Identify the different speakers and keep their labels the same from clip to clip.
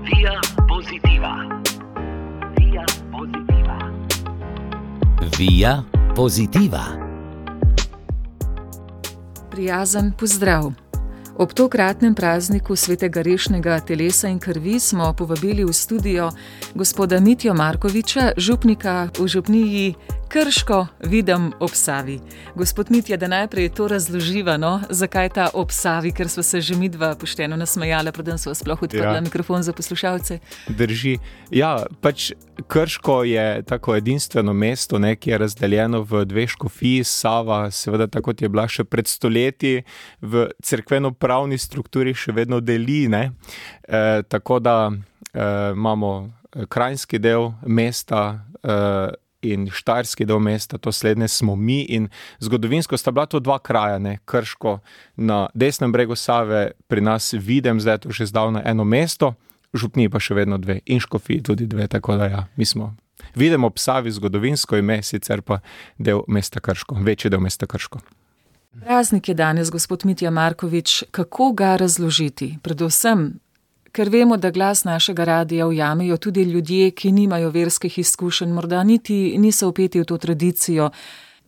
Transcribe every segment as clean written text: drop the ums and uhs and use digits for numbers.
Speaker 1: Via Positiva. Via Positiva.
Speaker 2: Via Positiva.
Speaker 3: Prijazen pozdrav. Ob tokratnem prazniku svetega rešnega telesa in krvi smo povabili v studio gospoda Mitjo Markoviča, župnika v župniji Krško, Videm ob Savi. Gospod Mitja, da najprej to razloživa, zakaj ta ob Savi, ker sva se že midva pošteno nasmejala, preden sva sploh odprla mikrofon za poslušalce.
Speaker 4: Drži. Ja, Krško je tako edinstveno mesto, ki je razdeljeno v dve škofiji. Sava, seveda, tako kot je bila še pred stoletji, v cerkveno-pravni strukturi še vedno deli, tako da imamo krajinski del mesta in štajerski del mesta, to slednje smo mi, in zgodovinsko sta bila to dva kraja, Krško na desnem bregu Save, pri nas Videm, zdaj je to že zdavno eno mesto, župniji pa še vedno dve, in škofiji tudi dve, tako da ja, mi smo Videm ob Savi, zgodovinsko ime, sicer pa del mesta Krško, večji del mesta Krško.
Speaker 3: Praznik je danes, gospod Mitja Markovič, kako ga razložiti? Predvsem, ker vemo, da glas našega radija ujamejo tudi ljudje, ki nimajo verskih izkušenj, morda niti niso vpeti v to tradicijo,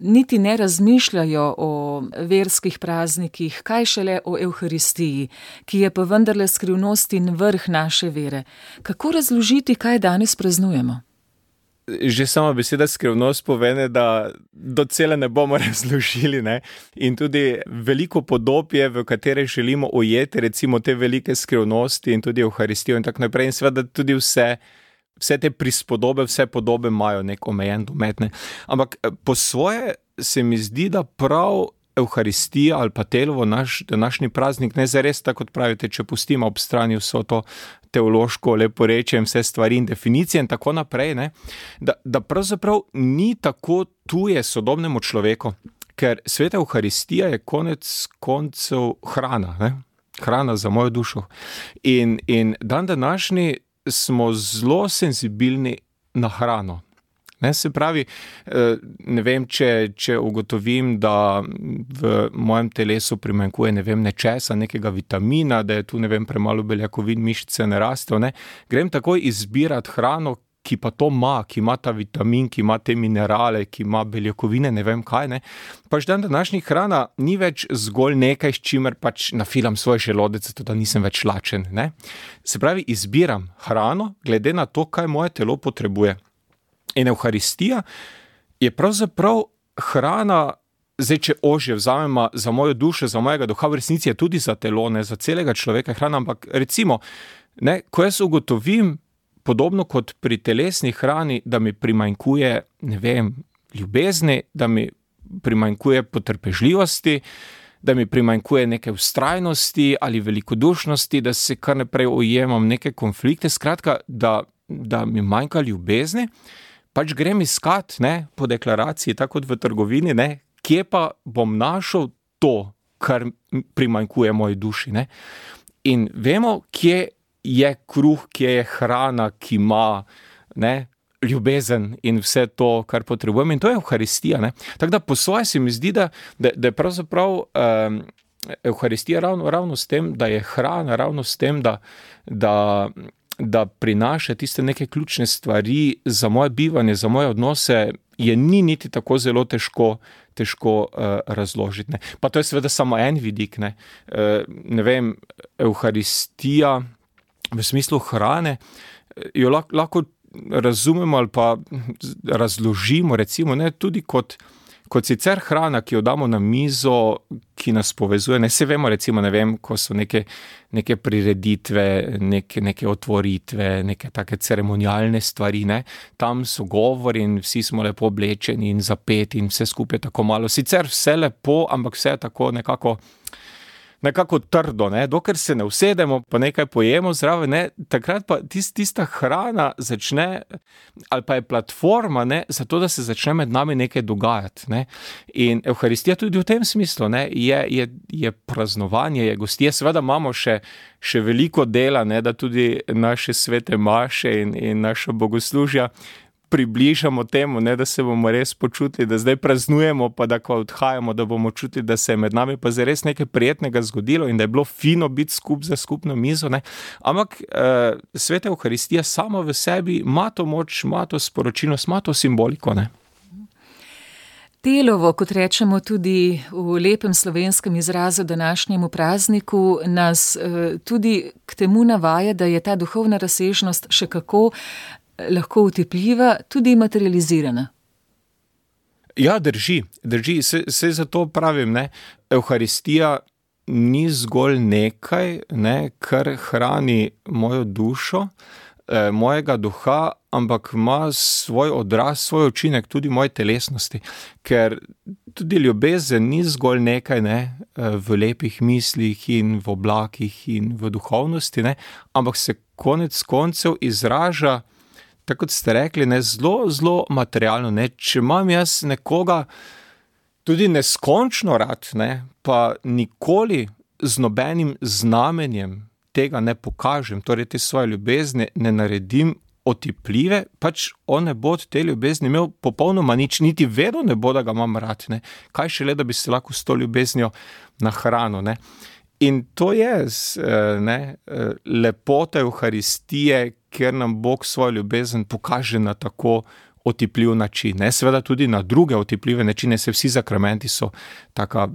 Speaker 3: niti ne razmišljajo o verskih praznikih, kaj šele o Evharistiji, ki je pa vendarle skrivnost in vrh naše vere. Kako razložiti, kaj danes praznujemo?
Speaker 4: Že sama beseda skrivnost povene, da docela ne bomo razložili, In tudi veliko podob je, v katere želimo ujeti, recimo te velike skrivnosti in tudi Evharistijo in tako naprej. In seveda tudi vse te prispodobe, vse podobe imajo nek omejen domet, Ampak po svoje se mi zdi, da prav Evharistija ali pa telovo, naš današnji praznik, ne zares, tako kot pravite, če pustimo ob strani vso to teološko leporečje in vse stvari in definicije in tako naprej, da pravzaprav ni tako tuje sodobnemu človeku, ker sveta Evharistija je konec koncev hrana, hrana za mojo dušo. In dan današnji smo zelo senzibilni na hrano. Se pravi, ne vem, če ugotovim, da v mojem telesu primanjkuje, nečesa, nekega vitamina, da je tu, premalo beljakovin, mišice ne rastejo, grem takoj izbirati hrano, ki pa to ima, ki ima ta vitamin, ki ima te minerale, ki ima beljakovine, ne vem kaj, Pač dan današnji hrana ni več zgolj nekaj, s čimer pač nafilam svoj želodec, zato da nisem več lačen, Se pravi, izbiram hrano, glede na to, kaj moje telo potrebuje. In Evharistija je pravzaprav hrana, zdaj če ožje vzamemo za mojo dušo, za mojega duha, v resnici je tudi za telo, za celega človeka hrana, ampak recimo, ko jaz ugotovim, podobno kot pri telesni hrani, da mi primanjkuje, ljubezni, da mi primanjkuje potrpežljivosti, da mi primanjkuje neke vztrajnosti ali velikodušnosti, da se kar naprej ujemam neke konflikte, skratka, da mi manjka ljubezni, pač grem iskat, po deklaraciji, tako kot v trgovini, kje pa bom našel to, kar primanjkuje moji duši, In vemo, kje je kruh, kje je hrana, ki ima, ljubezen in vse to, kar potrebujem, in to je Evharistija, Tako da po svoje se mi zdi, da je pravzaprav Evharistija ravno s tem, da je hrana, ravno s tem, da prinaša tiste neke ključne stvari za moje bivanje, za moje odnose, je ni niti tako zelo težko razložiti. Pa to je seveda samo en vidik, Evharistija v smislu hrane, jo lahko razumemo ali pa razložimo, recimo, tudi kot sicer hrana, ki jo damo na mizo, ki nas povezuje. Se vemo, recimo, ko so neke prireditve, neke otvoritve, neke take ceremonialne stvari, tam so govori in vsi smo lepo oblečeni in zapeti in vse skupaj tako malo. Sicer vse lepo, ampak vse je tako nekako trdo, dokler se ne usedemo, pa nekaj pojemo zraven, takrat pa tista hrana začne, ali pa je platforma, zato da se začne med nami nekaj dogajati, In Evharistija tudi v tem smislu, je praznovanje, je gostije, seveda imamo še veliko dela, da tudi naše svete maše in naša bogoslužja približamo temu, ne, da se bomo res počutili, da zdaj praznujemo, pa da ko odhajamo, da bomo čutili, da se je med nami pa zares nekaj prijetnega zgodilo in da je bilo fino biti za skupno mizo. Ne. Ampak Sveta Evharistija sama v sebi ima to moč, ima to sporočilnost, ima to simboliko. Ne.
Speaker 3: Telovo, kot rečemo tudi v lepem slovenskem izrazu današnjemu prazniku, nas tudi k temu navaja, da je ta duhovna razsežnost še kako lahko utepljiva, tudi materializirana.
Speaker 4: Ja, drži. Se zato pravim, ne, Evharistija ni zgolj nekaj, ne, kar hrani mojo dušo, mojega duha, ampak ima svoj odraz, svoj učinek tudi moje telesnosti. Ker tudi ljubezen ni zgolj nekaj, ne, v lepih mislih in v oblakih in v duhovnosti, ne, ampak se konec koncev izraža, tako kot ste rekli, ne, zelo materialno. Ne. Če imam jaz nekoga tudi neskončno rad, ne, pa nikoli z nobenim znamenjem tega ne pokažem, torej te svoje ljubezni ne naredim otipljive, pač on ne bo od te ljubezni imel popolnoma nič, niti vedel ne bo, da ga imam rad. Ne. Kaj šele, da bi se lahko s to ljubeznijo nahranil. Ne. In to je lepota Evharistije, ker nam Bog svojo ljubezen pokaže na tako otipljiv način. Ne. Seveda tudi na druge otipljive načine, se vsi sakramenti so taka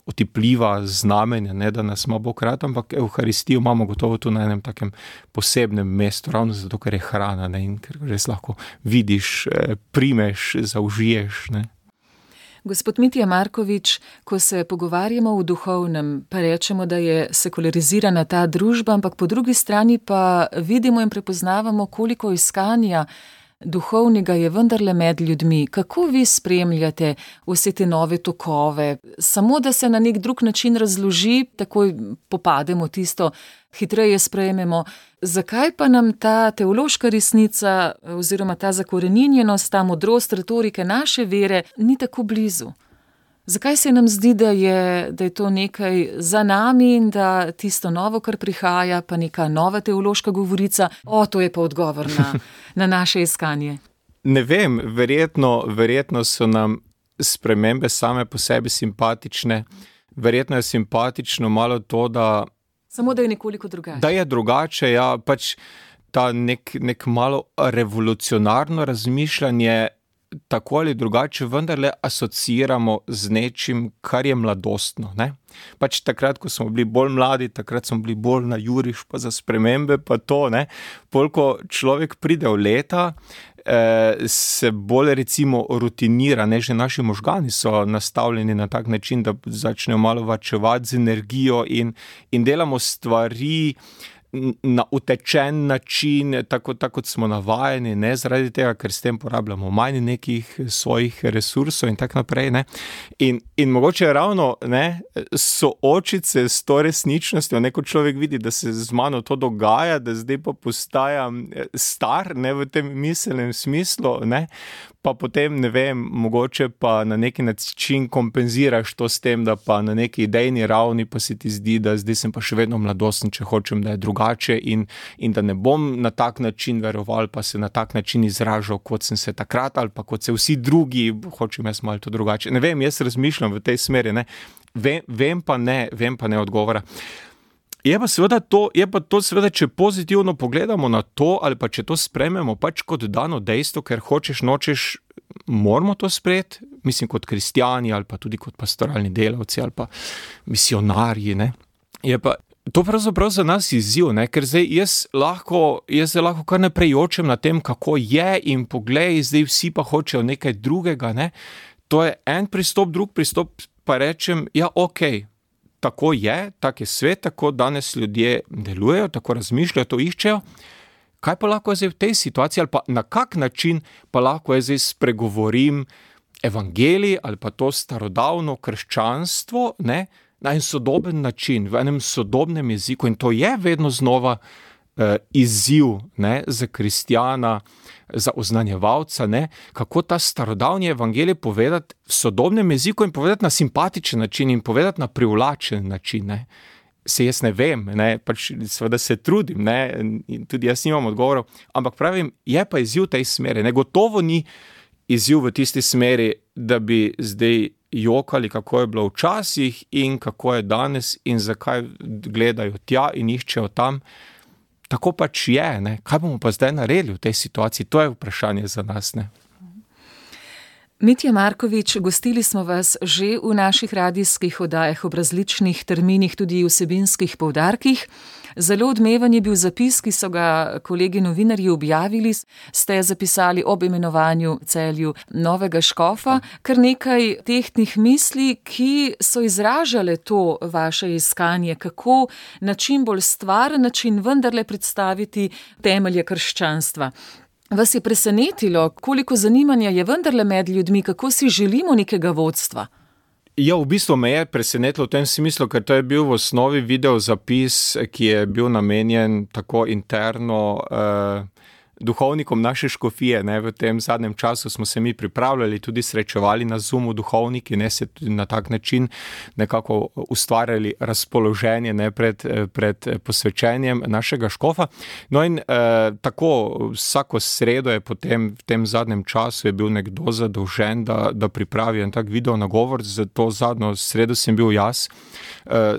Speaker 4: otipljiva znamenja, ne, da nas ima Bog rad, ampak Evharistijo imamo gotovo tu na enem takem posebnem mestu, ravno zato, ker je hrana, ne, in ker res lahko vidiš, primeš, zaužiješ. Ne.
Speaker 3: Gospod Mitja Markovič, ko se pogovarjamo v duhovnem, pa rečemo, da je sekularizirana ta družba, ampak po drugi strani pa vidimo in prepoznavamo, koliko iskanja duhovnega je vendarle med ljudmi. Kako vi spremljate vse te nove tokove? Samo da se na nek drug način razloži, takoj popademo tisto, hitreje sprejmemo. Zakaj pa nam ta teološka resnica oziroma ta zakoreninjenost, ta modrost retorike naše vere ni tako blizu? Zakaj se nam zdi, da je to nekaj za nami in da tisto novo, kar prihaja, pa neka nova teološka govorica, to je pa odgovor na naše iskanje? Ne
Speaker 4: vem, verjetno so nam spremembe same po sebi simpatične. Verjetno je simpatično malo to, da...
Speaker 3: Samo da je nekoliko drugače.
Speaker 4: Da je drugače, ja, pač ta nek malo revolucionarno razmišljanje, tako ali drugače vendarle asociiramo z nečim, kar je mladostno. Ne? Pač takrat, ko smo bili bolj mladi, takrat smo bili bolj na juriš pa za spremembe, pa to, ne. Pol, ko človek pride v leta, se bolj recimo rutinira, ne, že naši možgani so nastavljeni na tak način, da začnejo malo varčevati z energijo in delamo stvari na utečen način, tako kot smo navajeni, ne, zaradi tega, ker s tem porabljamo manj nekih svojih resursov in tako naprej, ne. In mogoče ravno, ne, soočiti se s to resničnostjo, neko človek vidi, da se z mano to dogaja, da zdaj pa postajam star, ne, v tem miselnem smislu, ne, pa potem, ne vem, mogoče pa na neki način kompenziraš to s tem, da pa na neki idejni ravni pa se ti zdi, da zdaj sem pa še vedno mladosten, če hočem, da je drugače in da ne bom na tak način veroval, pa se na tak način izražal, kot sem se takrat, ali pa kot se vsi drugi, hočem jaz malo to drugače. Ne vem, jaz razmišljam v tej smeri, ne. Vem pa ne odgovora. Je pa to seveda, če pozitivno pogledamo na to, ali pa če to sprejmemo pač kot dano dejstvo, ker hočeš, nočeš, moramo to sprejeti, mislim kot kristjani ali pa tudi kot pastoralni delavci ali pa misionarji, ne. Je pa to pravzaprav za nas izziv, ne, ker zdaj jaz lahko kar naprej jočem na tem, kako je in poglej, zdaj vsi pa hočejo nekaj drugega, ne. To je en pristop, drug pristop pa rečem, ja, okej. Tako je, tak je svet, tako danes ljudje delujejo, tako razmišljajo, to iščejo. Kaj pa lahko zdaj v tej situaciji, ali pa na kak način pa lahko zdaj spregovorim evangelij ali pa to starodavno krščanstvo, ne, na en sodoben način, v enem sodobnem jeziku, in to je vedno znova izziv, ne, za kristjana, za oznanjevalca, ne, kako ta starodavni evangelij povedati v sodobnem jeziku in povedati na simpatičen način in povedati na privlačen način, ne. se jaz ne vem, ne, pač seveda se trudim, ne, in tudi jaz nimam odgovorov, ampak pravim, je pa izziv v tej smeri, ne, gotovo ni izziv v tisti smeri, da bi zdaj jokali, kako je bilo včasih in kako je danes in zakaj gledajo tja in iščejo tam. Tako pač je, ne, kaj bomo pa zdaj naredili v tej situaciji, to je vprašanje za nas, ne.
Speaker 3: Mitja Markovič, gostili smo vas že v naših radijskih oddajah ob različnih terminih, tudi vsebinskih poudarkih. Zelo odmeven je bil zapis, ki so ga kolegi novinarji objavili. Ste zapisali ob imenovanju Celju novega škofa, kar nekaj tehtnih misli, ki so izražale to vaše iskanje, kako na čim bolj stvaren način vendarle predstaviti temelje krščanstva. Vas je presenetilo, koliko zanimanja je vendarle med ljudmi, kako si želimo nekega vodstva?
Speaker 4: Ja, v bistvu me je presenetilo v tem smislu, ker to je bil v osnovi video zapis, ki je bil namenjen tako interno duhovnikom naše škofije, ne, v tem zadnjem času smo se mi pripravljali, tudi srečevali na Zoomu duhovniki, ne, se tudi na tak način nekako ustvarjali razpoloženje, ne, pred posvečenjem našega škofa. No in tako vsako sredo je potem v tem zadnjem času je bil nekdo zadolžen, da pripravi en tak video nagovor, za to zadnjo sredo sem bil jaz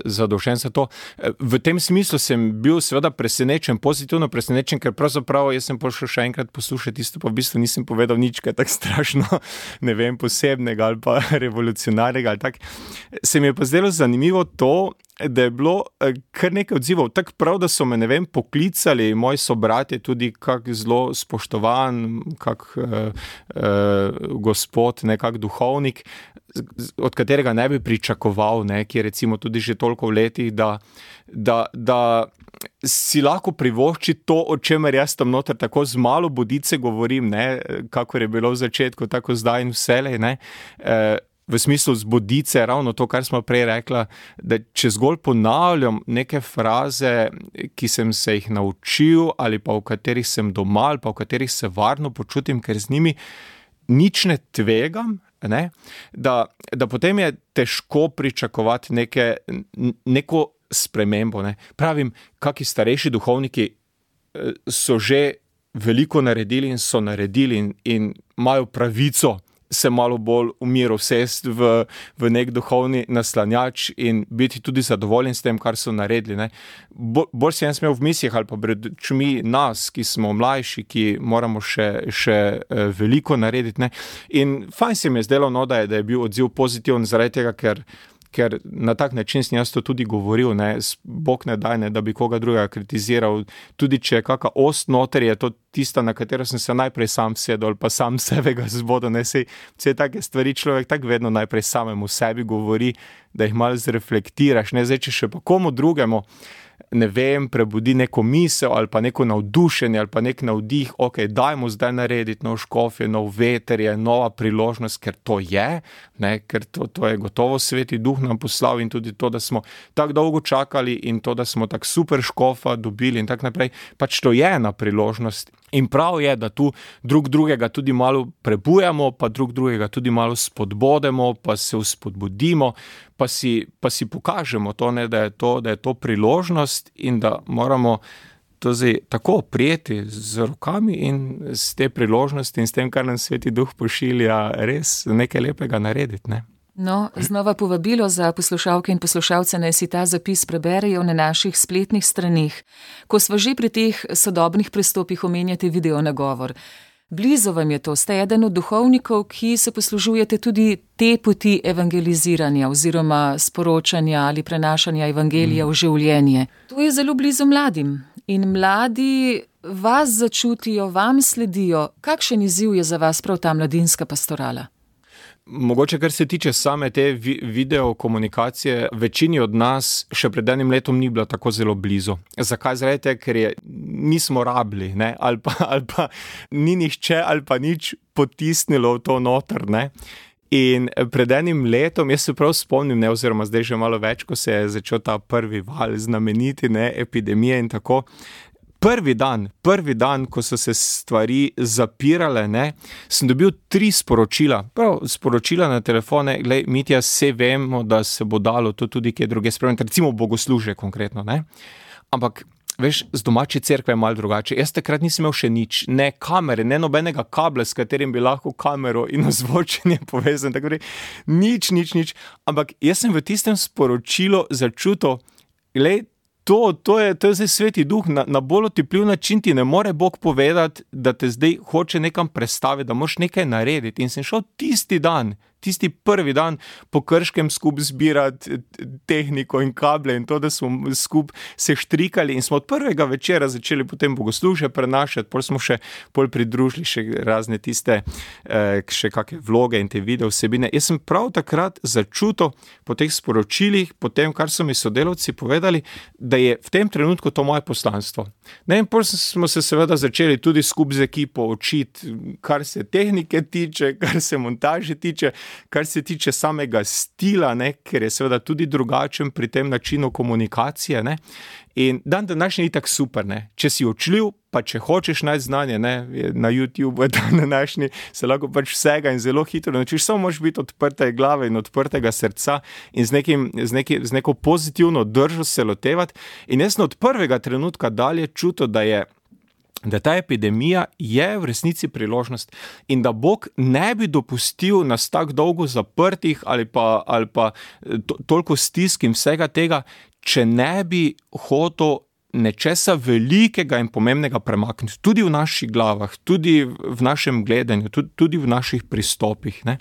Speaker 4: zadolžen za to. V tem smislu sem bil seveda presenečen, pozitivno presenečen, ker pravzaprav jaz sem šel še enkrat poslušati isto, pa v bistvu nisem povedal nič, kaj tako strašno, ne vem, posebnega ali pa revolucionarnega ali tak. Se mi je pa zdelo zanimivo to, da je bilo kar nekaj odzivov, tako prav, da so me, ne vem, poklicali moji sobratje, tudi kak zelo spoštovan, kak gospod, nekak duhovnik, od katerega ne bi pričakoval, ne, ki je recimo tudi že toliko v letih, da si lahko privošči to, o čemer jaz tam noter tako z malo bodice govorim, ne, kakor je bilo v začetku, tako zdaj in vselej, ne, v smislu z bodice, ravno to, kar smo prej rekla, da če zgolj ponavljam neke fraze, ki sem se jih naučil ali pa v katerih sem doma ali pa v katerih se varno počutim, ker z njimi nič ne tvegam, ne, da potem je težko pričakovati neko spremembo, ne. Pravim, kaki starejši duhovniki so že veliko naredili in so naredili in imajo pravico se malo bolj v miru sesti v nek duhovni naslanjač in biti tudi zadovoljen s tem, kar so naredili, ne. Bolj si jaz imel v mislih ali pa pred očmi nas, ki smo mlajši, ki moramo še veliko narediti, ne. In fajn se mi je zdelo, no, da je bil odziv pozitiven zaradi tega, ker na tak način sem jaz to tudi govoril, ne, Bog ne daj, ne, da bi koga drugega kritiziral, tudi če je kaka ost noter, je to tista, na katero sem se najprej sam sedel ali pa sam sebega zbodel, ne, vse take stvari človek tako vedno najprej samemu sebi govori, da jih malo zreflektiraš, ne, zdaj, če še pa komu drugemu, ne vem, prebudi neko misel ali pa neko navdušenje ali pa nek navdih, ok, dajmo zdaj narediti nov škof, je nov veter, je nova priložnost, ker to je, ne, ker to je gotovo Sveti Duh nam poslal in tudi to, da smo tako dolgo čakali in to, da smo tako super škofa dobili in tako naprej, pač to je ena priložnost. In prav je, da tu drug drugega tudi malo prebujamo, pa drug drugega tudi malo spodbodemo, pa se vzpodbudimo, pa si pokažemo to, ne, da je to priložnost in da moramo to zdaj tako prijeti z rokami in z te priložnosti in s tem, kar nam Sveti Duh pošilja, res nekaj lepega narediti, ne.
Speaker 3: No, znova povabilo za poslušalke in poslušalce, naj si ta zapis preberejo na naših spletnih straneh. Ko sva že pri teh sodobnih pristopih, omenjate video nagovor. Blizu vam je to, ste eden od duhovnikov, ki se poslužujete tudi te poti evangeliziranja oziroma sporočanja ali prenašanja evangelija v življenje. To je zelo blizu mladim in mladi vas začutijo, vam sledijo. Kakšen izziv je za vas prav ta mladinska pastorala?
Speaker 4: Mogoče, kar se tiče same te video komunikacije, večini od nas še pred enim letom ni bila tako zelo blizu. Zakaj? Zaradi tega, ker nismo rabili, ne? Ali pa ni nihče ali pa nič potisnilo v to noter, ne? In pred enim letom, jaz se prav spomnim, ne, oziroma zdaj že malo več, ko se je začel ta prvi val znameniti, ne, epidemije in tako, prvi dan, ko so se stvari zapirale, ne, sem dobil 3 sporočila. Prav, sporočila na telefone, glej, Mitja, vse vemo, da se bo dalo to tudi kje druge spremeniti, recimo bogoslužje konkretno, ne. Ampak, veš, z domače cerkve je malo drugače. Jaz takrat nisem imel še nič, ne kamere, ne nobenega kabla, s katerim bi lahko kamero in ozvočenje povezan, tako nič. Ampak jaz sem v tistem sporočilu začutil, glej, To je zdaj sveti duh, na bolj otipljiv način ti ne more Bog povedati, da te zdaj hoče nekam prestaviti, da moraš nekaj narediti. In sem šel tisti prvi dan po Krškem skupaj zbirati tehniko in kable in to, da smo skupaj se štrikali in smo od prvega večera začeli potem bogoslužje prenašati, pol smo še pridružili še razne tiste, še kakšne vloge in te video vsebine. Jaz sem prav takrat začutil po teh sporočilih, po tem, kar so mi sodelavci povedali, da je v tem trenutku to moje poslanstvo. Ne, in pol smo se seveda začeli tudi skupaj z ekipo učiti, kar se tehnike tiče, kar se montaže tiče, kar se tiče samega stila, ne, ker je seveda tudi drugačen pri tem načinu komunikacije, ne. In dan današnji je itak super, ne. Če si učljiv, pa če hočeš najti znanje, ne, na YouTube dan današnji se lahko pač vsega in zelo hitro naučiš, samo moraš biti odprte glave in odprtega srca in z neko pozitivno držo se lotevati. In jaz sem od prvega trenutka dalje čutil, da ta epidemija je v resnici priložnost in da Bog ne bi dopustil nas tako dolgo zaprtih ali pa toliko stisk in vsega tega, če ne bi hotel nečesa velikega in pomembnega premakniti, tudi v naših glavah, tudi v našem gledanju, tudi v naših pristopih, ne.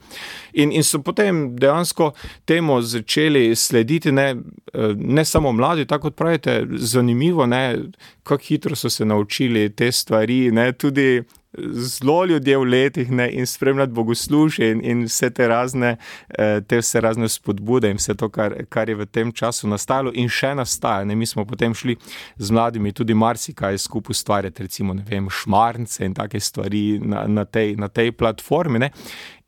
Speaker 4: In so potem dejansko temu začeli slediti, ne samo mladi, tako kot pravite, zanimivo, ne, kako hitro so se naučili te stvari, ne, tudi zelo ljudje v letih, ne, in spremljati bogoslužje in vse te razne spodbude in vse to, kar je v tem času nastajalo in še nastaja, ne. Mi smo potem šli z mladimi tudi marsikaj skupaj ustvarjati, recimo, ne vem, šmarnice in take stvari na tej platformi, ne.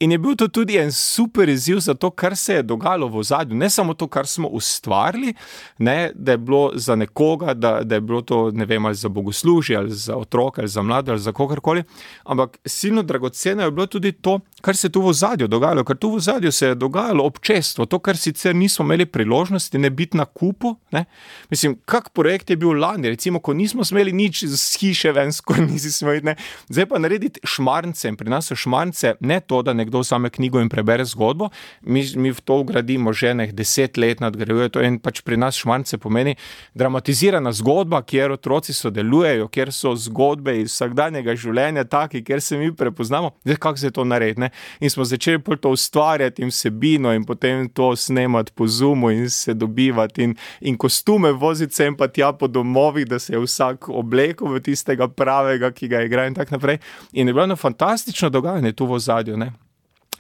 Speaker 4: In je bil to tudi en super izziv za to, kar se je dogajalo v ozadju. Ne samo to, kar smo ustvarili, ne, da je bilo za nekoga, da je bilo to, ne vem, ali za bogoslužje, ali za otroke, ali za mlade, ali za kogarkoli, ampak silno dragoceno je bilo tudi to, kar se tu v ozadju dogajalo, ker tu v ozadju se je dogajalo občestvo, to, kar sicer nismo imeli priložnosti ne biti na kupu, ne. Mislim, kak projekt je bil lani, recimo, ko nismo smeli nič z hiše ven, skoraj nisi smeli, ne. Zdaj pa narediti šmarnice in pri nas so šmarnice, ne to, da nekdo vzame knjigo in prebere zgodbo, mi v to vgradimo že 10 let nadgrajuje to in pač pri nas šmarnice pomeni dramatizirana zgodba, kjer otroci sodelujejo, kjer so zgodbe iz vsakdanjega življenja taki, kjer se mi prepoznamo, zdaj kako se to naredi, ne. In smo začeli to ustvarjati in vsebino in potem to snemati po Zoomu in se dobivati in kostume voziti sem pa tja po domovih, da se je vsak oblekel v tistega pravega, ki ga igra in tako naprej. In je bilo eno fantastično dogajanje tu v ozadju, ne.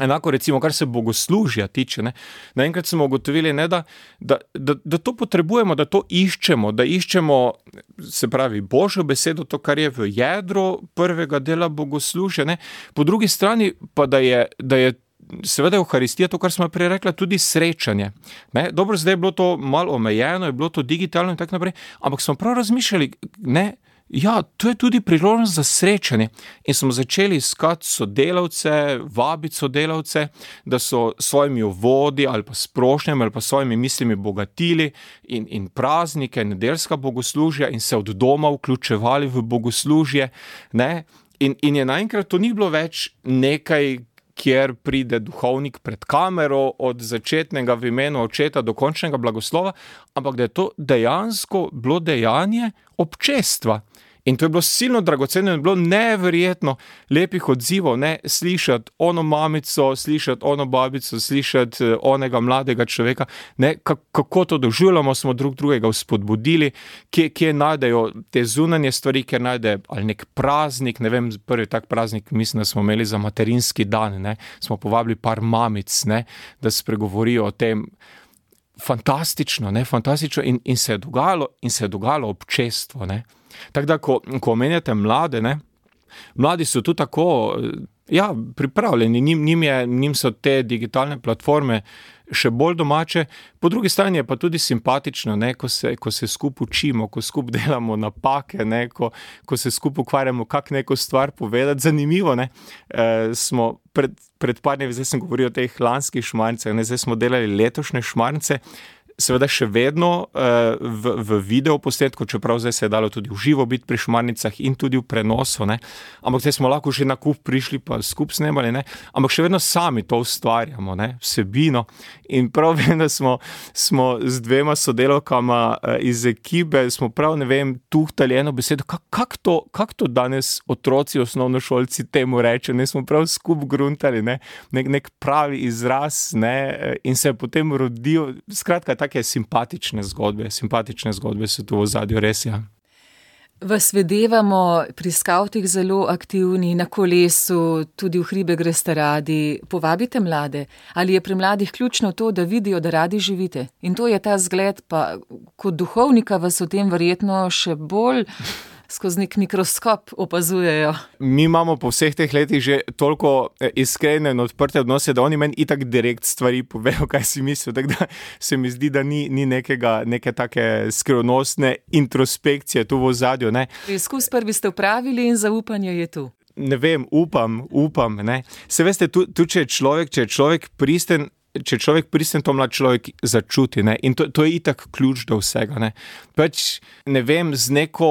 Speaker 4: Enako recimo, kar se bogoslužja tiče, ne. Naenkrat smo ugotovili, ne, da to potrebujemo, da to iščemo, se pravi, Božjo besedo, to, kar je v jedru prvega dela bogoslužja, ne. Po drugi strani pa, da je seveda Evharistija, to, kar smo prej rekla, tudi srečanje. Ne. Dobro, zdaj je bilo to malo omejeno, je bilo to digitalno in tako naprej, ampak smo prav razmišljali, ne, ja, to je tudi priložnost za srečanje in smo začeli iskati sodelavce, vabiti sodelavce, da so svojimi uvodi ali pa sprošnjami ali pa svojimi mislimi bogatili in praznike, nedeljska bogoslužja in se od doma vključevali v bogoslužje, ne, in je naenkrat to ni bilo več nekaj, kjer pride duhovnik pred kamero od začetnega v imenu očeta do končnega blagoslova, ampak da je to dejansko bilo dejanje občestva. In to je bilo silno dragoceno in bilo neverjetno lepih odzivov, ne, slišati ono mamico, slišati ono babico, slišati onega mladega človeka, ne, kako to doživljamo, smo drugega vzpodbudili, kje najdejo te zunanje stvari, kjer najde ali nek praznik, ne vem, prvi tak praznik, mislim, da smo imeli za materinski dan, ne, smo povabili par mamic, ne, da spregovorijo o tem. Fantastično, ne, fantastično in se je dogajalo občestvo, ne. Tako da, ko omenjate mlade, ne, mladi so tu tako, ja, pripravljeni, njim so te digitalne platforme še bolj domače. Po drugi strani je pa tudi simpatično, ne, ko se skupaj učimo, ko skupaj delamo napake, ne, ko se skupaj ukvarjamo, kako neko stvar povedati. Zanimivo, ne, smo pred par dnevi, zdaj sem govoril o teh lanskih šmarnicah, ne, zdaj smo delali letošnje šmarnice, seveda še vedno v video posnetku, čeprav zdaj se je dalo tudi v živo biti pri šmarnicah in tudi v prenosu, ne. Ampak zdaj smo lahko že na kup prišli pa skup snemali, ne. Ampak še vedno sami to ustvarjamo, ne, vsebino. In prav vem, da smo z dvema sodelavkama iz ekipe, smo prav, ne vem, tuhtali eno besedo, kako to danes otroci, osnovnošolci temu rečejo, ne, smo prav skup gruntali, ne, nek pravi izraz, ne, in se je potem rodil, skratka, take simpatične zgodbe so tu v ozadju, res, ja.
Speaker 3: Vas videvamo pri skavtih zelo aktivni, na kolesu, tudi v hribe greste radi. Povabite mlade. Ali je pri mladih ključno to, da vidijo, da radi živite? In to je ta zgled, pa kot duhovnika vas o tem verjetno še bolj skozi nek mikroskop opazujejo. Mi imamo po vseh teh letih že toliko iskrene in odprte odnose, da oni meni itak direkt stvari povejo, kaj si mislijo. Tako da se mi zdi, da ni neke take skrivnostne introspekcije tu v ozadju, ne. Preizkus prvi ste opravili in zaupanje je tu.
Speaker 4: Ne vem, upam, ne. Se veste, tu če je človek pristen, to mlad človek začuti, ne, in to je itak ključ do vsega, ne. Pač, ne vem, z neko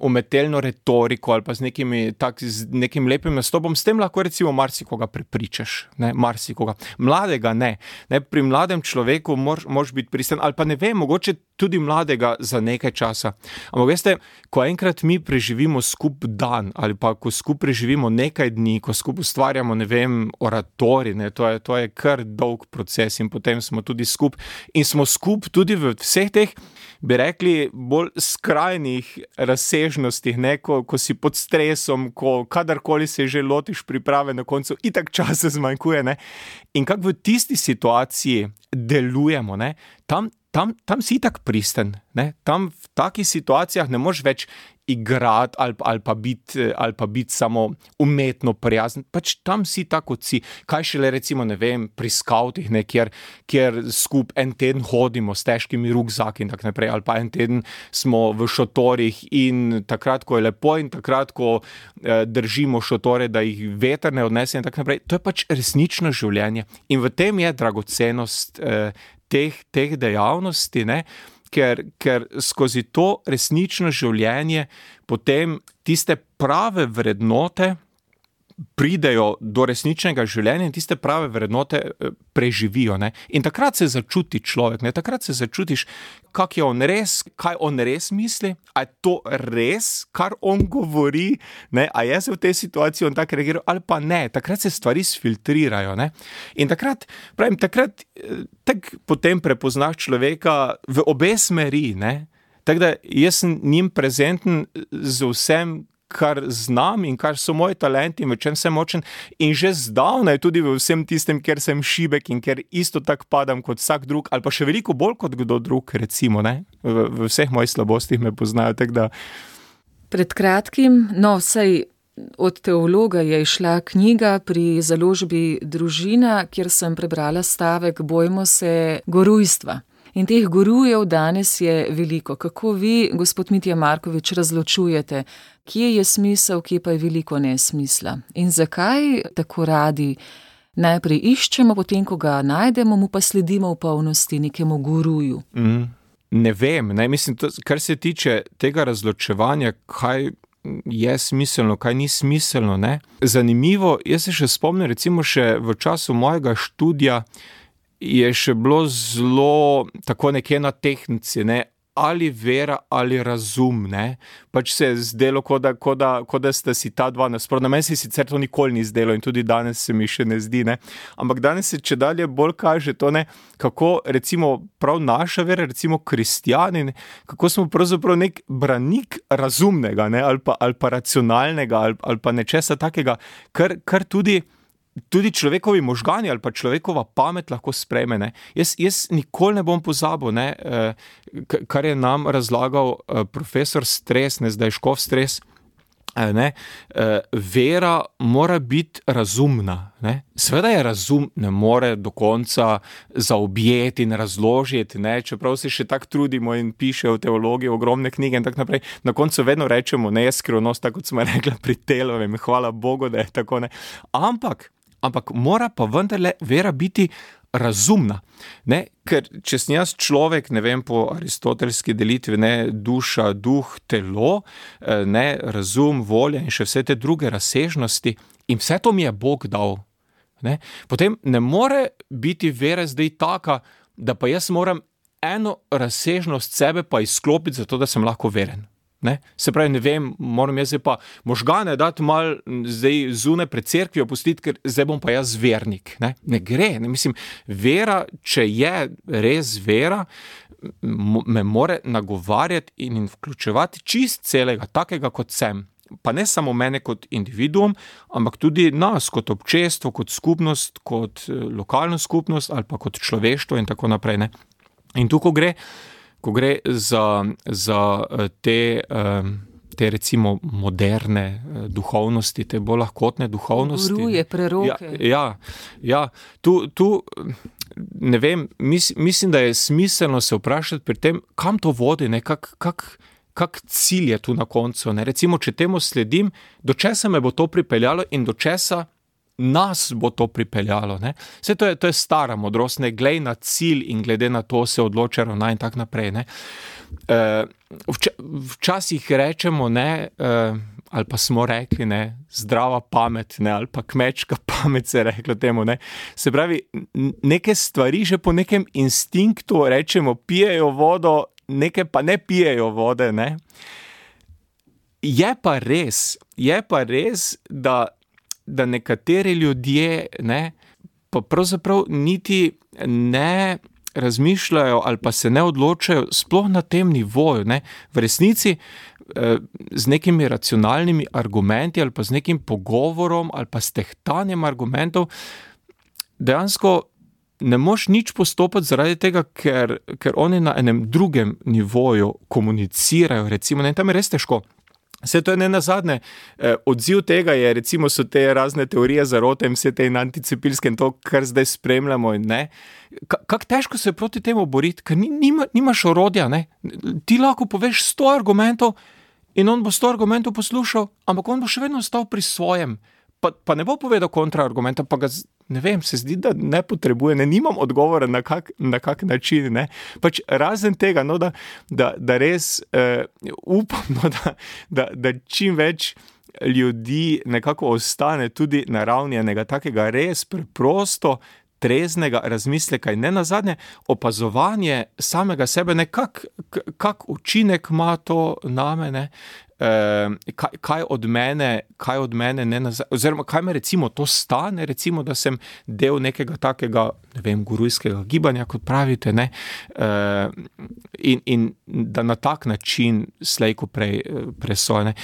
Speaker 4: umetelno retoriko ali pa z nekim lepim nastopom, s tem lahko recimo marsikoga prepričaš, ne, marsikoga. Mladega ne. Pri mladem človeku moraš biti pristen, ali pa ne vem, mogoče tudi mladega za nekaj časa. Ampak veste, ko enkrat mi preživimo skup dan, ali pa ko skup preživimo nekaj dni, ko skup ustvarjamo, ne vem, oratorij, ne, to je kar dolg proces in potem smo tudi skup in smo skup tudi v vseh teh, bi rekli, bolj skrajnih razsežnostih, ne, ko si pod stresom, ko kadarkoli se že lotiš priprave, na koncu itak časa zmanjkuje, ne, in kako v tisti situaciji delujemo, ne, tam si itak pristen, ne, tam v takih situacijah ne moreš več igrati ali pa biti samo umetno prijazen, pač tam si tako kot si. Kaj šele recimo, ne vem, pri skavtih, ne, kjer skup en teden hodimo s težkimi rukzaki in tako naprej, ali pa en teden smo v šotorih in takrat, ko je lepo in takrat, ko držimo šotore, da jih veter ne odnese in tako naprej, to je pač resnično življenje. In v tem je dragocenost teh dejavnosti, ne, ker skozi to resnično življenje potem tiste prave vrednote pridejo do resničnega življenja in tiste prave vrednote preživijo, ne. In takrat se začuti človek, ne, takrat se začutiš, kaj on res misli, a je to res, kar on govori, ne, a je se v tej situaciji on tak reagiral, ali pa ne, takrat se stvari sfiltrirajo, ne. In takrat potem prepoznaš človeka v obe smeri, ne. Tako da jaz sem njim prezenten z vsem, kar znam in kar so moji talenti in v čem sem močen in že zdavnaj tudi v vsem tistem, ker sem šibek in ker isto tak padam kot vsak drug ali pa še veliko bolj kot kdo drug, recimo, ne, v vseh mojih slabostih me poznajo, tako da.
Speaker 3: Pred kratkim, vsaj od teologa je išla knjiga pri založbi Družina, kjer sem prebrala stavek Bojmo se gorujstva. In teh gurujev danes je veliko. Kako vi, gospod Mitja Markovič, razločujete, kje je smisel, kje pa je veliko nesmisla? In zakaj tako radi najprej iščemo, potem, ko ga najdemo, mu pa sledimo v polnosti nekemu guruju?
Speaker 4: Ne vem, ne, mislim, kar se tiče tega razločevanja, kaj je smiselno, kaj ni smiselno, ne. Zanimivo, jaz se še spomnim, recimo še v času mojega študija, je še bilo zelo tako nekje na tehnici, ne, ali vera ali razum, ne. Pač se je zdelo, ko da sta si ta dva nasprotna. Meni se sicer to nikoli ni zdelo in tudi danes se mi še ne zdi, ne. Ampak danes se čedalje bolj kaže to, ne, kako recimo prav naša vera, recimo kristjani, kako smo pravzaprav nek branik razumnega, ne, ali pa racionalnega ali pa nečesa takega, kar tudi človekovi možgani ali pa človekova pamet lahko sprejme, ne. Jaz nikoli ne bom pozabil, ne, kar je nam razlagal profesor Stres, ne, zdaj Škof Stres, vera mora biti razumna. Ne? Seveda je razum, ne more do konca zaobjeti in razložiti, ne? Čeprav se še tako trudimo in pišejo v teologiji ogromne knjige in tako naprej. Na koncu vedno rečemo, ne je skrivnost, tako kot smo rekli pri Telovem, hvala Bogu, da je tako. Ne? Ampak mora pa vendarle vera biti razumna. Ne? Ker če sem jaz človek, ne vem, po aristotelski delitvi, ne, duša, duh, telo, ne, razum, volja in še vse te druge razsežnosti in vse to mi je Bog dal. Ne? Potem ne more biti vera zdaj taka, da pa jaz moram eno razsežnost sebe pa izklopiti zato, da sem lahko veren. Ne? Se pravi, ne vem, moram jaz zdaj pa možgane dati malo zdaj zunaj pred cerkvijo pustiti, ker zdaj bom pa jaz vernik. Ne gre, ne, mislim, vera, če je res vera, me more nagovarjati in vključevati čist celega, takega kot sem. Pa ne samo mene kot individuum, ampak tudi nas kot občestvo, kot skupnost, kot lokalno skupnost ali pa kot človeštvo in tako naprej. Ne? In tu, ko gre za te recimo moderne duhovnosti, te bolj lahkotne duhovnosti.
Speaker 3: Guruje, preroke.
Speaker 4: Ja. Tu ne vem, mislim, da je smiselno se vprašati pri tem, kam to vodi, ne, kak cilj je tu na koncu. Ne? Recimo, če temu sledim, do česa me bo to pripeljalo in do česa nas bo to pripeljalo. Ne? Vse to je stara modrost, ne glej na cilj in glede na to se odloča ravnaj in tak naprej. Ne? Včasih rečemo, ne, ali pa smo rekli, ne, zdrava pamet, ne, ali pa kmečka pamet se je reklo temu. Ne? Se pravi, neke stvari že po nekem instinktu rečemo, pijejo vodo, neke pa ne pijejo vode. Ne? Je pa res, da nekateri ljudje, ne, pa pravzaprav niti ne razmišljajo ali pa se ne odločajo sploh na tem nivoju. Ne. V resnici z nekimi racionalnimi argumenti ali pa z nekim pogovorom ali pa s tehtanjem argumentov dejansko ne moš nič postopati zaradi tega, ker oni na enem drugem nivoju komunicirajo, recimo, ne, tam je res težko. Vse to je nenazadnje, odziv tega je, recimo, so te razne teorije zarote in vse te anticepilske in to, kar zdaj spremljamo in ne. Kako težko se proti temu boriti, ker nimaš orodja, ne. Ti lahko poveš 100 argumentov in on bo 100 argumentov poslušal, ampak on bo še vedno ostal pri svojem. Pa ne bo povedal kontraargumenta, pa ga, ne vem, se zdi, da ne potrebuje, ne, nimam odgovora na kak način, ne. Pač razen tega, no, da res upam, no, da čim več ljudi nekako ostane tudi na ravni enega takega res preprosto, treznega razmisleka in nenazadnje opazovanje samega sebe, ne, kak učinek ima to name, ne. Kaj od mene oziroma kaj me recimo to stane, recimo, da sem del nekega takega, ne vem, gurujskega gibanja, kot pravite, ne, in da na tak način slejko prej presojene.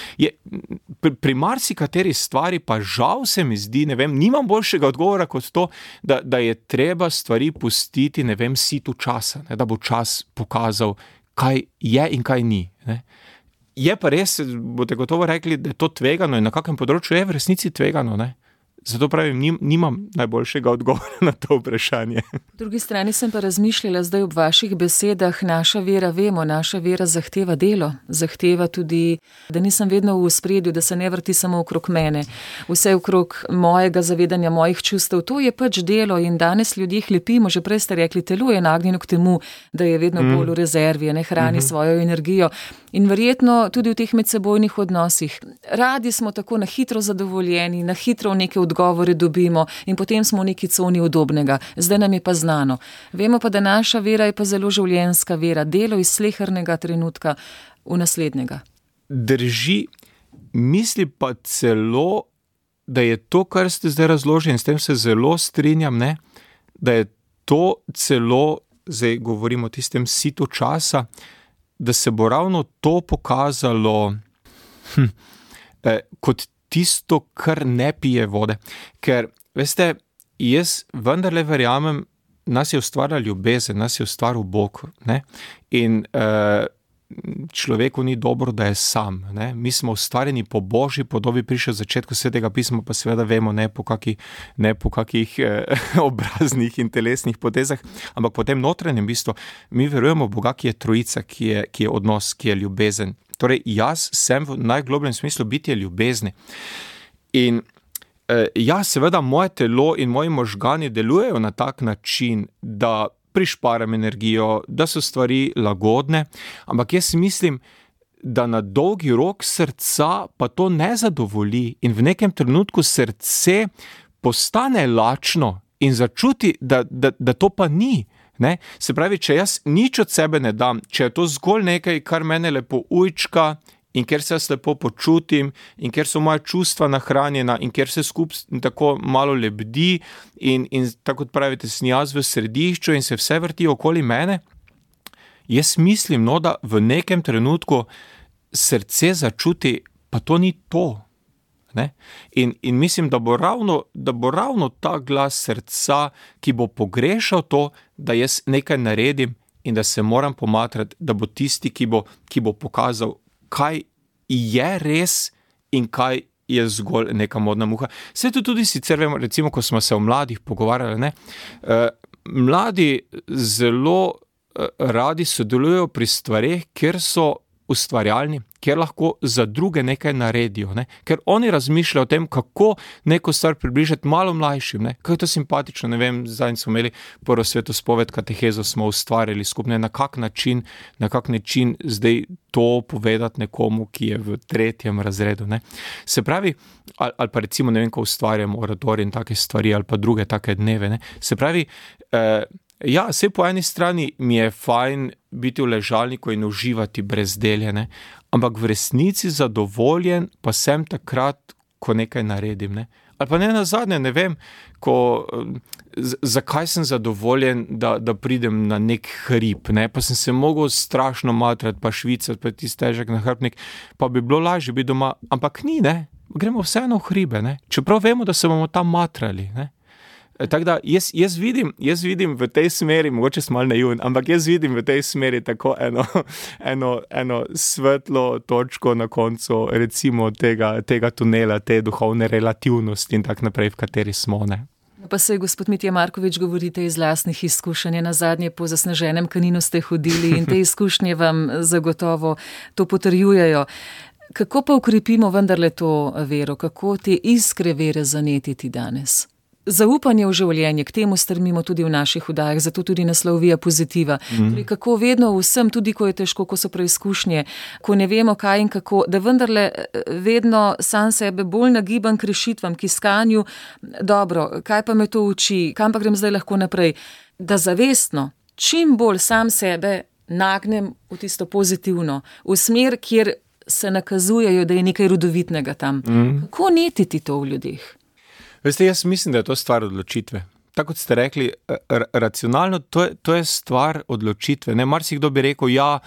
Speaker 4: Pri marsikateri stvari pa žal se mi zdi, ne vem, nimam boljšega odgovora kot to, da je treba stvari pustiti, ne vem, situ časa, ne, da bo čas pokazal, kaj je in kaj ni, ne. Je pa res, boste gotovo rekli, da je to tvegano in na kakem področju je v resnici tvegano, ne? Zato pravim, nimam najboljšega odgovora na to vprašanje.
Speaker 3: Po drugi strani sem pa razmišljala zdaj ob vaših besedah, naša vera zahteva delo, zahteva tudi, da nisem vedno v ospredju, da se ne vrti samo okrog mene, vse okrog mojega zavedanja, mojih čustev, to je pač delo in danes ljudje hlepimo, že prej ste rekli, telo je nagnjeno k temu, da je vedno bolj v rezervi, ne hrani svojo energijo in verjetno tudi v teh medsebojnih odnosih. Radi smo tako na hitro zadovoljeni, na hitro neke odgovore dobimo in potem smo v neki coni udobnega. Zdaj nam je pa znano. Vemo pa, da naša vera je pa zelo življenjska vera, delo iz slehernega trenutka v naslednjega.
Speaker 4: Drži, misli pa celo, da je to, kar ste zdaj razložili, in s tem se zelo strinjam, ne, da je to celo, zdaj govorimo o tistem situ časa, da se bo ravno to pokazalo kot tisto, kar ne pije vode. Ker, veste, jaz vendarle verjamem, nas je ustvarila ljubezen, nas je ustvaril Bog, ne? In človeku ni dobro, da je sam. Ne? Mi smo ustvarjeni po Božji podobi, prišel v začetku Svetega pisma, pa seveda vemo ne po kakih obraznih in telesnih potezah, ampak po tem notranjem bistvu mi verujemo v Boga, ki je trojica, ki je odnos, ki je ljubezen. Torej, jaz sem v najglobljem smislu bitje ljubezni. In ja, seveda moje telo in moji možgani delujejo na tak način, da prišparam energijo, da so stvari lagodne, ampak jaz mislim, da na dolgi rok srca pa to ne zadovolji in v nekem trenutku srce postane lačno in začuti, da to pa ni. Ne? Se pravi, če jaz nič od sebe ne dam, če je to zgolj nekaj, kar mene lepo ujčka in ker se jaz lepo počutim in ker so moja čustva nahranjena in ker se skupaj tako malo lebdi in tako kot pravite, sem jaz v središču in se vse vrti okoli mene, jaz mislim, da v nekem trenutku srce začuti, pa to ni to. Ne? In mislim, da bo ravno ta glas srca, ki bo pogrešal to, da jaz nekaj naredim in da se moram pomatrati, da bo tisti, ki bo pokazal, kaj je res in kaj je zgolj neka modna muha. Vse to tudi sicer vemo, recimo, ko smo se o mladih pogovarjali, ne? Mladi zelo radi sodelujejo pri stvareh, kjer so ustvarjalni, kjer lahko za druge nekaj naredijo, ne? Ker oni razmišljajo o tem, kako neko stvar približati malo mlajšim, ne? Kako je to simpatično, ne vem, zdaj smo imeli prvo svetospoved katehezo, smo ustvarjali skupaj, na kak način zdaj to povedati nekomu, ki je v 3. razredu, ne? Se pravi, ali pa recimo, ne vem, ko ustvarjamo oratorij in take stvari, ali pa druge take dneve, ne? Se pravi, ja, vse po eni strani mi je fajn biti v ležalniku in uživati brezdelje, ne? Ampak v resnici zadovoljen pa sem takrat, ko nekaj naredim, ne? Ali pa ne nazadnje, ne vem, zakaj sem zadovoljen, da pridem na nek hrib, ne? Pa sem se mogel strašno matrati, pa švicati, pa tisti težek nahrbnik, pa bi bilo lažje biti doma, ampak ni, ne? Gremo vseeno v hribe, ne? Čeprav vemo, da se bomo tam matrali, ne? Tako da jaz vidim v tej smeri, mogoče sem malo naivn, ampak jaz vidim v tej smeri tako eno svetlo točko na koncu recimo tega tunela, te duhovne relativnosti in tak naprej, v kateri smo, ne.
Speaker 3: Pa saj, gospod Mitja Markovič, govorite iz lastnih izkušenj, nazadnje po zasneženem Kaninu ste hodili in te izkušnje vam zagotovo to potrjujejo. Kako pa ukrepimo vendarle to vero, kako te iskre vere zanetiti danes? Zaupanje v življenje, k temu strmimo tudi v naših oddajah, zato tudi naslov Via Positiva. Torej, kako vedno vsem, tudi ko je težko, ko so preizkušnje, ko ne vemo kaj in kako, da vendarle vedno sam sebe bolj nagibam k rešitvam, k iskanju, dobro, kaj pa me to uči, kam pa grem zdaj lahko naprej, da zavestno, čim bolj sam sebe nagnem v tisto pozitivno, v smer, kjer se nakazujejo, da je nekaj rodovitnega tam. Kako netiti to v ljudeh?
Speaker 4: Veste, jaz mislim, da je to stvar odločitve. Tako kot ste rekli, racionalno, to je stvar odločitve. Ne, marsikdo bi rekel, ja,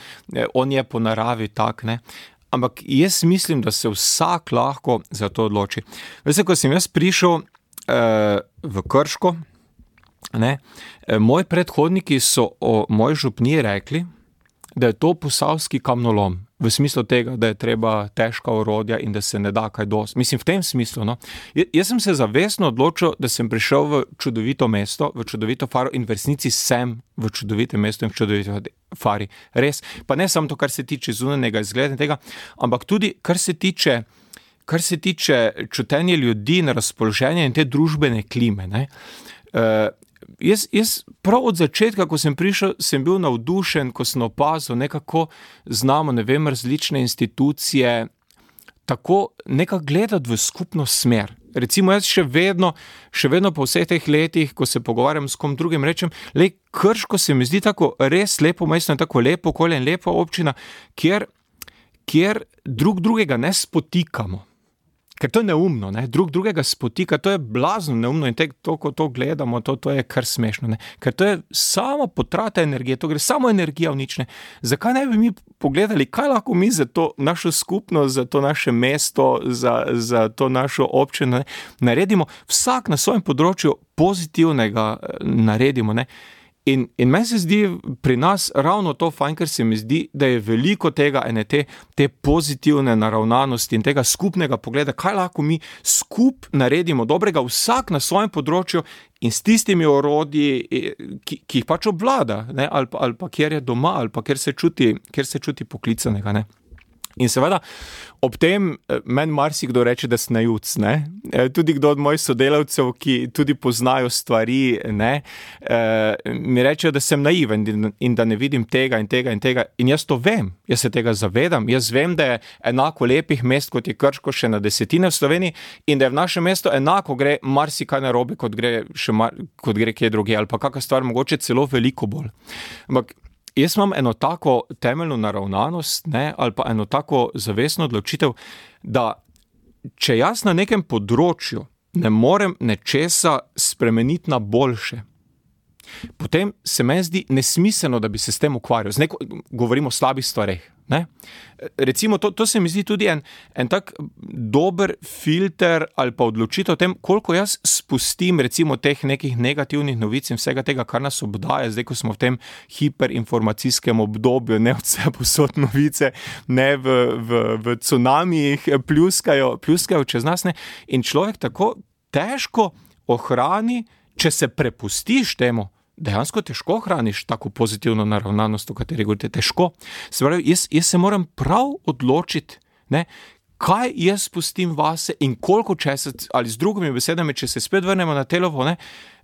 Speaker 4: on je po naravi tak, ne. Ampak jaz mislim, da se vsak lahko za to odloči. Veste, ko sem jaz prišel v Krško, ne, moji predhodniki so o moji župniji rekli, da je to posavski kamnolom. V smislu tega, da je treba težka orodja in da se ne da kaj dosti. Mislim, v tem smislu, no. Jaz sem se zavestno odločil, da sem prišel v čudovito mesto, v čudovito Faro in v resnici sem v čudovitem mestu in v čudovito Fari. Res. Pa ne samo to, kar se tiče zunanjega izgleda tega, ampak tudi, kar se tiče čutenja ljudi in razpoloženja in te družbene klime, ne. Jaz prav od začetka, ko sem prišel, sem bil navdušen, ko sem opazil, nekako znamo, ne vem, različne institucije, tako nekako gledati v skupno smer. Recimo jaz še vedno po vseh teh letih, ko se pogovarjam s kom drugim, rečem, Krško se mi zdi tako res lepo mesto in tako lepo okolje in lepa občina, kjer drugega ne spotikamo. Ker to je neumno, ne? Drugega spotika, to je blazno neumno in ko to gledamo, to je kar smešno, ne? Ker to je sama potrata energije, to gre samo energija v nič, ne? Zakaj ne bi mi pogledali, kaj lahko mi za to našo skupnost, za to naše mesto, za to našo občino, ne? Naredimo, vsak na svojem področju pozitivnega naredimo, ne? In meni se zdi pri nas ravno to fajn, ker se mi zdi, da je veliko tega, te pozitivne naravnanosti in tega skupnega pogleda, kaj lahko mi skup naredimo dobrega, vsak na svojem področju in s tistimi orodji, ki jih pač obvlada, ne, ali pa kjer je doma, ali pa kjer se čuti poklicanega, ne. In seveda, ob tem meni marsikdo reče, da sem naivec, ne. Tudi kdo od mojih sodelavcev, ki tudi poznajo stvari, ne, mi rečejo, da sem naiven in da ne vidim tega in tega in tega. In jaz to vem, jaz se tega zavedam. Jaz vem, da je enako lepih mest, kot je Krško, še na desetine v Sloveniji, in da je v našem mestu enako gre marsikaj narobe, kot gre kje drugje, ali pa kakšna stvar mogoče celo veliko bolj. Ampak jaz imam eno tako temeljno naravnanost, ne, ali pa eno tako zavestno odločitev, da če jaz na nekem področju ne morem nečesa spremeniti na boljše, potem se meni zdi nesmiselno, da bi se s tem ukvarjal. Govorimo o slabih stvareh, ne. Recimo, to se mi zdi tudi en tak dober filter ali pa odločitev o tem, koliko jaz spustim recimo teh nekih negativnih novic in vsega tega, kar nas obdaja, zdaj, ko smo v tem hiperinformacijskem obdobju, ne vse posod novice, ne v cunamijih pljuskajo čez nas, ne. In človek tako težko ohrani, če se prepustiš temu, dejansko težko hraniš tako pozitivno naravnanost, o kateri govorite, težko. Se pravi, jaz se moram prav odločiti, ne, kaj jaz pustim vase in koliko časa, ali z drugimi besedami, če se spet vrnemo na telovo, ne,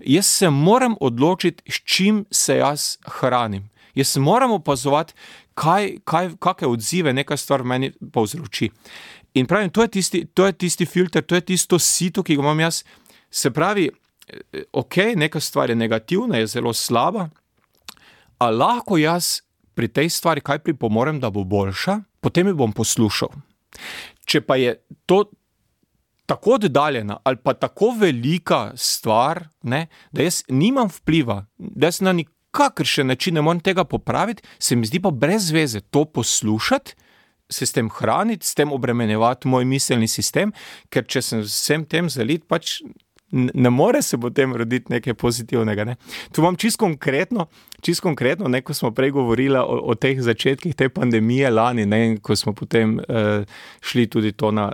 Speaker 4: jaz se moram odločiti, s čim se jaz hranim. Jaz moram opazovati, kakšne odzive neka stvar meni povzroči. In pravim, to je tisti filter, to je tisto sito, ki ga imam jaz. Se pravi, neka stvar je negativna, je zelo slaba, a lahko jaz pri tej stvari kaj pripomorem, da bo boljša, potem jo bom poslušal. Če pa je to tako oddaljena ali pa tako velika stvar, ne, da jaz nimam vpliva, da jaz na nikakršen način ne morem tega popraviti, se mi zdi pa brez veze to poslušati, se s tem hraniti, s tem obremenjevati moj miselni sistem, ker če sem vsem tem zalit, pač ne more se potem roditi nekaj pozitivnega, ne. Tu imam čisto konkretno, ne, ko smo prej govorili o teh začetkih te pandemije lani, ne, in ko smo potem šli tudi to na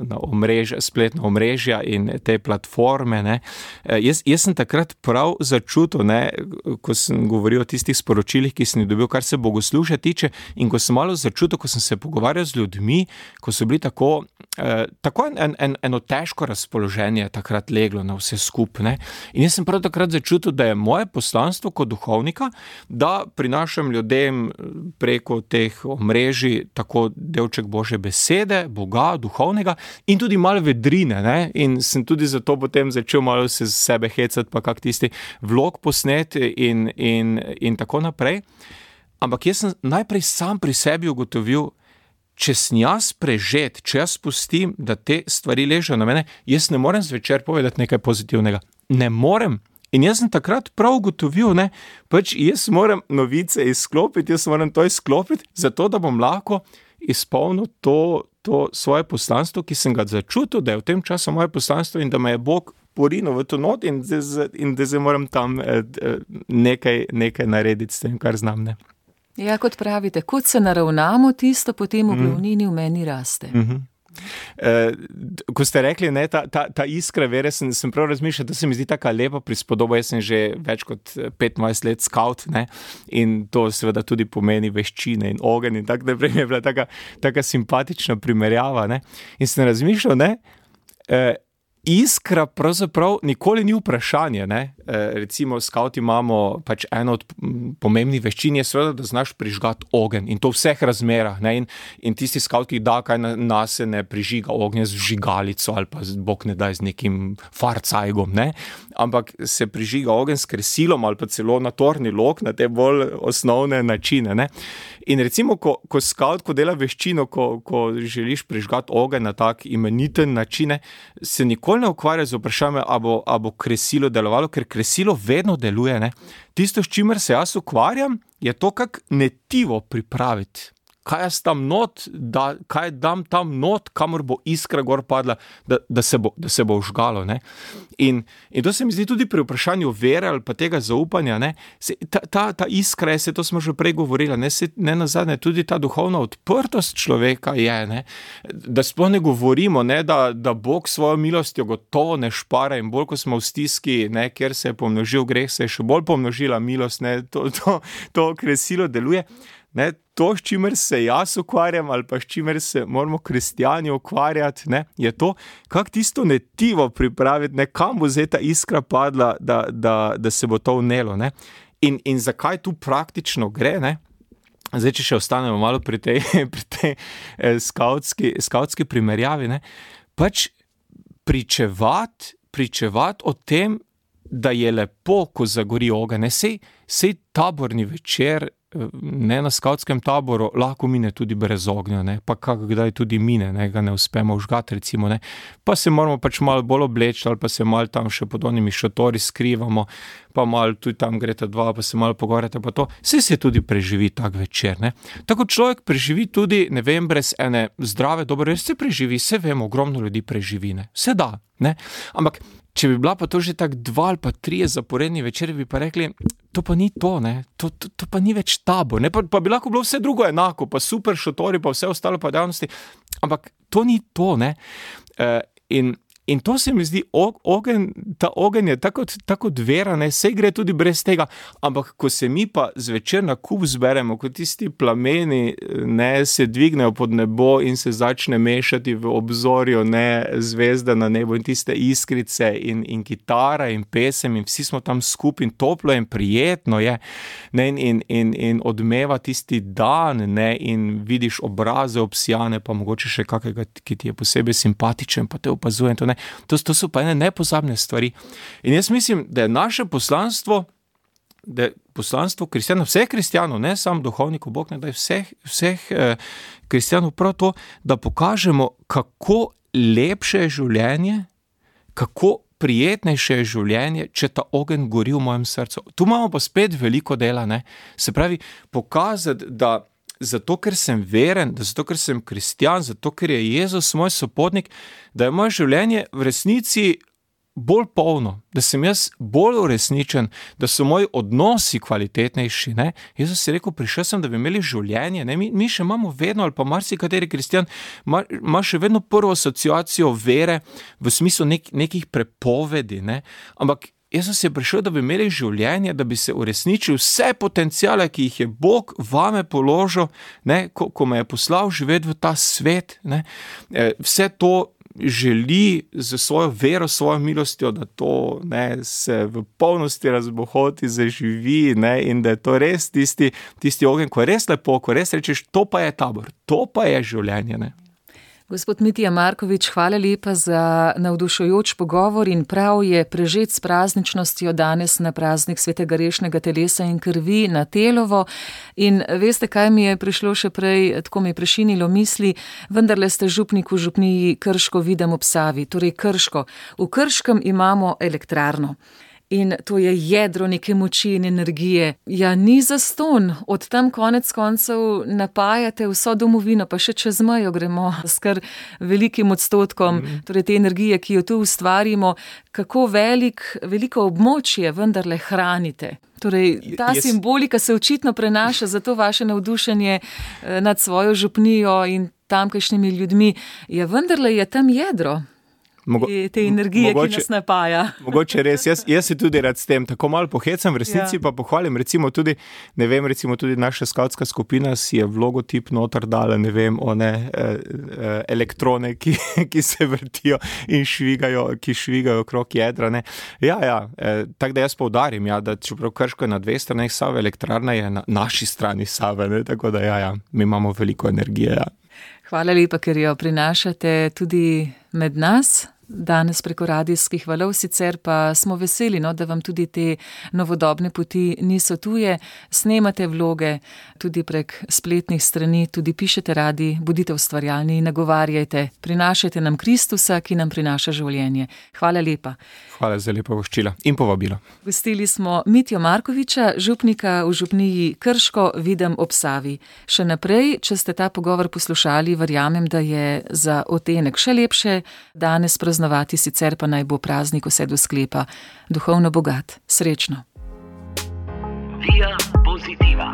Speaker 4: spletna omrežja in te platforme, ne. Jaz sem takrat prav začutil, ne, ko sem govoril o tistih sporočilih, ki sem jih dobil, kar se bogoslužja tiče, in ko sem malo začutil, ko sem se pogovarjal z ljudmi, ko so bili tako eno težko razpoloženje takrat leglo na vse skupaj, ne. In jaz sem prav takrat začutil, da je moje poslanstvo kot duhovnika, da prinašam ljudem preko teh omrežij tako delček Božje besede, Boga, duhovnega in tudi malo vedrine, ne. In sem tudi zato potem začel malo se z sebe hecati, pa kak tisti vlog posneti in tako naprej. Ampak jaz sem najprej sam pri sebi ugotovil, če sem jaz prežet, če jaz pustim, da te stvari ležejo na mene, jaz ne morem zvečer povedati nekaj pozitivnega. Ne morem. In jaz sem takrat prav ugotovil, ne, pač jaz moram novice izklopiti, jaz moram to izklopiti, zato da bom lahko izpolnil to svoje poslanstvo, ki sem ga začutil, da je v tem času moje poslanstvo in da me je Bog porinil v to not in da zdaj moram tam nekaj narediti s tem, kar znam, ne.
Speaker 3: Ja, kot pravite, kot se naravnamo, tisto potem v glavnini v meni raste.
Speaker 4: Ko ste rekli, ne, ta iskra vere, sem prav razmišljal, da se mi zdi taka lepa prispodoba. Jaz sem že več kot 25 let skavt, ne, in to seveda tudi pomeni veščine in ogenj in tako naprej. Je bila taka simpatična primerjava, ne. In sem razmišljal, ne, iskra pravzaprav nikoli ni vprašanje, ne. Recimo skavti imamo pač eno od pomembnih veščin je seveda, da znaš prižgati ogenj in to v vseh razmerah, ne. In tisti skavt, ki da kaj nase, ne prižiga ognja z vžigalico ali pa Bog ne daj z nekim farcajgom, ne. Ampak se prižiga ogenj s kresilom ali pa celo na torni lok, na te bolj osnovne načine, ne. In recimo, ko skavt, ko dela veščino, ko želiš prižgati ogenj na tak imeniten način, se nikoli ne ukvarja z vprašanjem, a bo kresilo delovalo, ker kresilo vedno deluje, ne. Tisto, s čimer se jaz ukvarjam, je to, kako netivo pripraviti. kaj jaz tam not, kaj dam tam not, kamor bo iskra gor padla, da se bo vžgalo, ne. In to se mi zdi tudi pri vprašanju vere ali pa tega zaupanja, ne, ta iskra, to smo že prej govorili, ne nazadnje, tudi ta duhovna odprtost človeka je, ne, da sploh ne govorimo, ne, da Bog svojo milostjo gotovo ne špara in bolj, ko smo v stiski, ne, kjer se je pomnožil greh, se je še bolj pomnožila milost, ne, to kresilo deluje, ne, to, s čimer se jaz ukvarjam ali pa s čimer se moramo kristjani ukvarjati, ne, je to, kako tisto netivo pripraviti, ne, kam bo zdaj ta iskra padla, da se bo to vnelo, ne. In zakaj tu praktično gre, ne? Zdaj, če še ostanemo malo pri tej skavtski primerjavi, ne? Pač pričevati o tem, da je lepo, ko zagori ogenj, ne, sej taborni večer, ne, na skavtskem taboru lahko mine tudi brez ognja, ne, pa kdaj tudi mine, ne, ga ne uspemo vžgati, recimo, ne, pa se moramo pač malo bolj obleči, ali pa se malo tam še pod onimi šotori skrivamo, pa malo tudi tam greta dva, pa se malo pogovarjate, pa to, se tudi preživi tak večer, ne. Tako človek preživi tudi, ne vem, brez ene zdrave, dobre, se preživi, se vemo, ogromno ljudi preživi, ne, se da, ne, ampak če bi bila pa to že tak 2 ali pa 3 zaporedni večeri, bi pa rekli, to pa ni to, ne, to pa ni več tabor, ne, pa bi lahko bilo vse drugo enako, pa super šotori, pa vse ostalo pa dejavnosti, ampak to ni to, ne, in to se mi zdi, ta ogenj je tako vera, ne, sej gre tudi brez tega, ampak ko se mi pa zvečer na kup zberemo, ko tisti plameni, ne, se dvignejo pod nebo in se začne mešati v obzorju, ne, zvezda na nebu in tiste iskrice in kitara in pesem in vsi smo tam skupaj in toplo in prijetno je, ne, in odmeva tisti dan, ne, in vidiš obraze obsijane, pa mogoče še kakega, ki ti je posebej simpatičen, pa te opazuje in to, ne. To so pa ene nepozabne stvari. In jaz mislim, da je naše poslanstvo, kristjanov, vseh kristjanov, ne samo duhovnikov, Bog ne daj vseh kristjanov, prav to, da pokažemo, kako lepše je življenje, kako prijetnejše je življenje, če ta ogenj gori v mojem srcu. Tu imamo pa spet veliko dela, ne. Se pravi, pokazati, da zato, ker sem veren, zato, ker sem kristjan, zato, ker je Jezus moj sopotnik, da je moje življenje v resnici bolj polno, da sem jaz bolj uresničen, da so moji odnosi kvalitetnejši, ne. Jezus je rekel, prišel sem, da bi imeli življenje, ne. Mi še imamo vedno, ali pa marsikateri kristjan, ima še vedno prvo asociacijo vere v smislu nekih prepovedi, ne. Ampak Jezus je prišel, da bi imeli življenje, da bi se uresničil vse potenciale, ki jih je Bog vame položil, ne, ko me je poslal živeti v ta svet, ne. Vse to želi z svojo vero, svojo milostjo, da to, ne, se v polnosti razbohoti, zaživi, ne, in da je to res tisti ogenj, ko je res lepo, ko res rečeš, to pa je tabor, to pa je življenje, ne.
Speaker 3: Gospod Mitja Markovič, hvala lepa za navdušujoč pogovor in prav je prežet s prazničnostjo danes na praznik svetega rešnega telesa in krvi na Telovo. In veste, kaj mi je prišlo še prej, tako mi je prešinilo misli, vendarle ste župnik v župniji Krško Videm ob Savi, torej Krško. V Krškem imamo elektrarno. In to je jedro neke moči in energije. Ja, ni zastonj. Od tam konec koncev napajate vso domovino, pa še čez mejo gremo s kar velikim odstotkom, torej te energije, ki jo tu ustvarimo, kako veliko območje vendarle hranite. Torej, ta simbolika se očitno prenaša, zato vaše navdušenje nad svojo župnijo in tamkajšnjimi ljudmi. Ja, vendarle je tam jedro. Te energije, ki nas napaja.
Speaker 4: Mogoče res, jaz se tudi rad s tem tako malo pohecam, v resnici pa pohvalim, recimo tudi naša skavtska skupina si je v logotip noter dala, ne vem, elektrone, ki se vrtijo in ki švigajo okrog jedra, ne. Tako da jaz poudarim, da čeprav Krško je na 2 straneh Save, elektrarna je na naši strani Save, ne, tako da mi imamo veliko energije,
Speaker 3: Hvala lepa, ker jo prinašate tudi med nas. danes preko radijskih valov, sicer pa smo veseli, da vam tudi te novodobne poti niso tuje. Snemate vloge tudi prek spletnih strani, tudi pišete radi, bodite ustvarjalni in nagovarjajte. Prinašajte nam Kristusa, ki nam prinaša življenje. Hvala lepa.
Speaker 4: Hvala za lepo voščilo in povabilo.
Speaker 3: Gostili smo Mitjo Markoviča, župnika v župniji Krško, Videm ob Savi. Še naprej, če ste ta pogovor poslušali, verjamem, da je za odtenek še lepše danes praznovati, sicer pa naj bo praznik vse do sklepa duhovno bogat. Srečno.
Speaker 1: Via Positiva.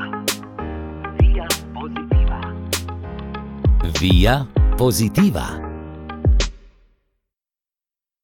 Speaker 1: Via Positiva.
Speaker 2: Via Positiva.